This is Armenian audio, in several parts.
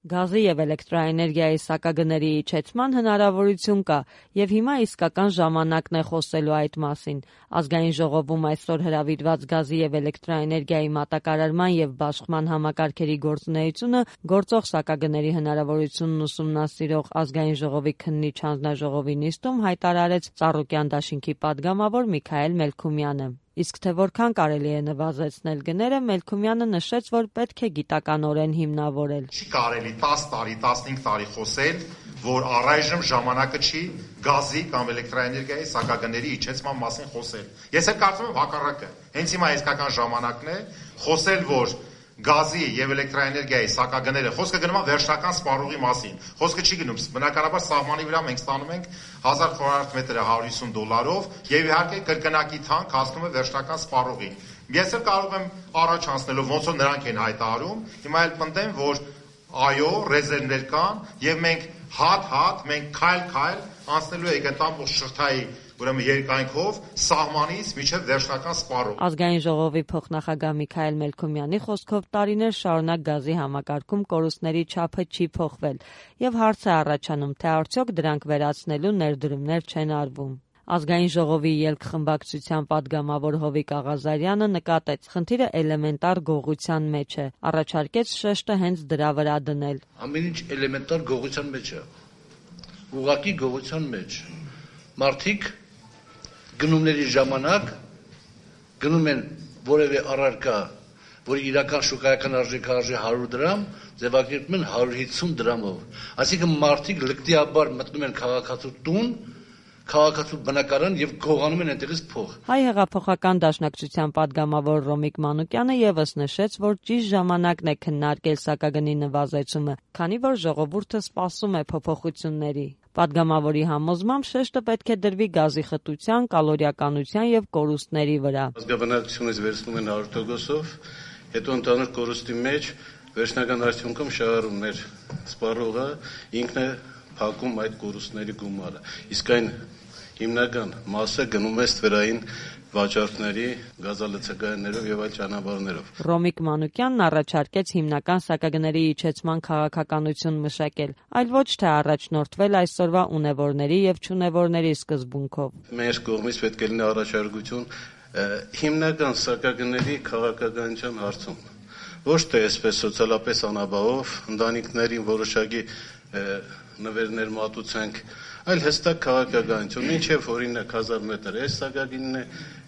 Գազի եւ էլեկտրաէներգիայի սակագների իջեցման հնարավորություն կա եւ հիմա իսկական ժամանակն է խոսելու այդ մասին։ Ազգային ժողովում այսօր հրավիրված գազի եւ էլեկտրաէներգիայի մատակարարման եւ բաշխման համակարգերի գործունեությունը գործող սակագների հնարավորությունն ուսումնասիրող Ազգային ժողովի քննիչ հանձնաժողովի նիստում հայտարարեց Ծառուկյան դաշինքի падգամավոր Միքայել Մելքումյանը։ Իսկ թե որքան կարելի է նվազեցնել գները, Մելքումյանը նշեց, որ պետք է գիտականորեն հիմնավորել։ Չի կարելի 10 տարի, 15 տարի խոսել, որ առայժմ ժամանակը չի գազի կամ էլեկտրաէներգիայի սակագների իջեցման մասին խոսել։ Ես էլ կարծում եմ հակառակը։ Հենց հիմա իսկական ժամանակն է խոսել, որ գազի եւ էլեկտրաէներգիայի սակագները, խոսքը գնում է վերջնական սպառողի մասին։ Խոսքը չի գնում, բնականաբար սահմանի վրա մենք ստանում ենք 1000 քվadrat մետրը $150 եւ իհարկե կրկնակի թանկ հասնում է վերջնական սպառողին։ Ես էլ կարող եմ առաջ անցնելով ոնց որ նրանք են հայտարարում, հիմա էլ պնդեմ, որ այո, ռեզերվներ կան եւ մենք հատ, մենք քայլ անցնելու ենք այդ ամբողջ շղթայի ուրեմն երկայնքով սահմանից մինչև վերջնական սպառող։ Ազգային ժողովի փոխնախագահ Միքայել Մելքումյանի խոսքով տարիներ շարունակ գազի համակարգում կորուստների չափը չի փոխվել եւ հարց է առաջանում, թե արդյոք դրանք վերացնելու ներդրումներ չեն արվում։ Ազգային ժողովի ելքխմբակցության падգամավոր Հովիկ Աղազարյանը նկատեց, խնդիրը էլեմենտար գողության մեջ է, առաջարկեց շեշտը հենց դրա վրա դնել։ Ամեն ինչ էլեմենտար գողության մեջ է, ուղղակի գողության մեջ։ Մարդիկ գնումների ժամանակ գնում են որևէ առարկա, որի իրական շուկայական արժեքը 100 դրամ, ձևակերպում են 150 դրամով։ Այսինքն մարդիկ լկտիաբար մտնում են քաղաքացու տուն, քաղաքացու բնակարան եւ գողանում են այնտեղից փող։ Հայ հեղափոխական դաշնակցության падգամավոր Ռոմիկ Մանուկյանը եւս նշեց, որ ճիշտ ժամանակն է քննարկել սակագնի նվազեցումը, քանի որ ժողովուրդը սպասում է փոփոխությունների։ Падգամավորի համոզմամբ շեշտը պետք է դրվի գազի խտության, կալորիականության եւ կորուստների վրա։ Ազգաբնակչությունից վերցնում են 100%-ով, հետո ընդհանուր կորուստի մեջ վերջնական արդյունքում շահառուներ սպառողը ինքն է փակում այդ կորուստների գումարը։ Իսկ այն հիմնական մասը գնում է ստվերային վաճառքների, գազալցակայաններով եւ այլ ճանապարհներով։ Ռոմիկ Մանուկյանն առաջարկեց հիմնական սակագների իջեցման քաղաքականություն մշակել, այլ ոչ թե առաջնորդվել այսօրվա ունևորների եւ չունևորների սկզբունքով։ Մեր կողմից պետք է լինի առաջարկություն հիմնական սակագների քաղաքականության հարցում։ Ոչ թե այսպես սոցիալապես անաբավով ընտանիքներին որոշակի նվերներ մատուցենք, այլ հստակ քաղաքականություն, մինչև օրինակ 1000 մետր էս սակագինն է,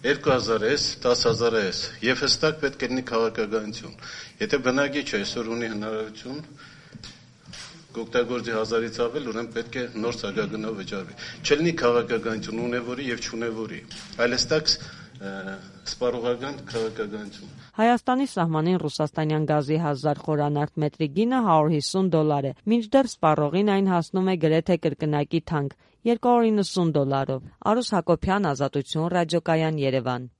2000 էս, 10000 էս, եւ հստակ պետք է լինի քաղաքականություն։ Եթե բնակիչ այսօր ունի հնարավորություն կօգտագործի 1000-ից ավել, ուրեմն պետք է նոր սակագնով վճարվի։ Չլինի քաղաքականություն ունևորի եւ չունևորի, այլ հստակ սպառողական քաղաքականություն։ Հայաստանի սահմանին ռուսաստանյան գազի 1000 խորանարդ մետրի գինը $150 է, մինչդեռ սպառողին այն հասնում է գրեթե կրկնակի թանկ $290։ Արուս Հակոբյան, Ազատություն, Ռադիոկայան, Երևան։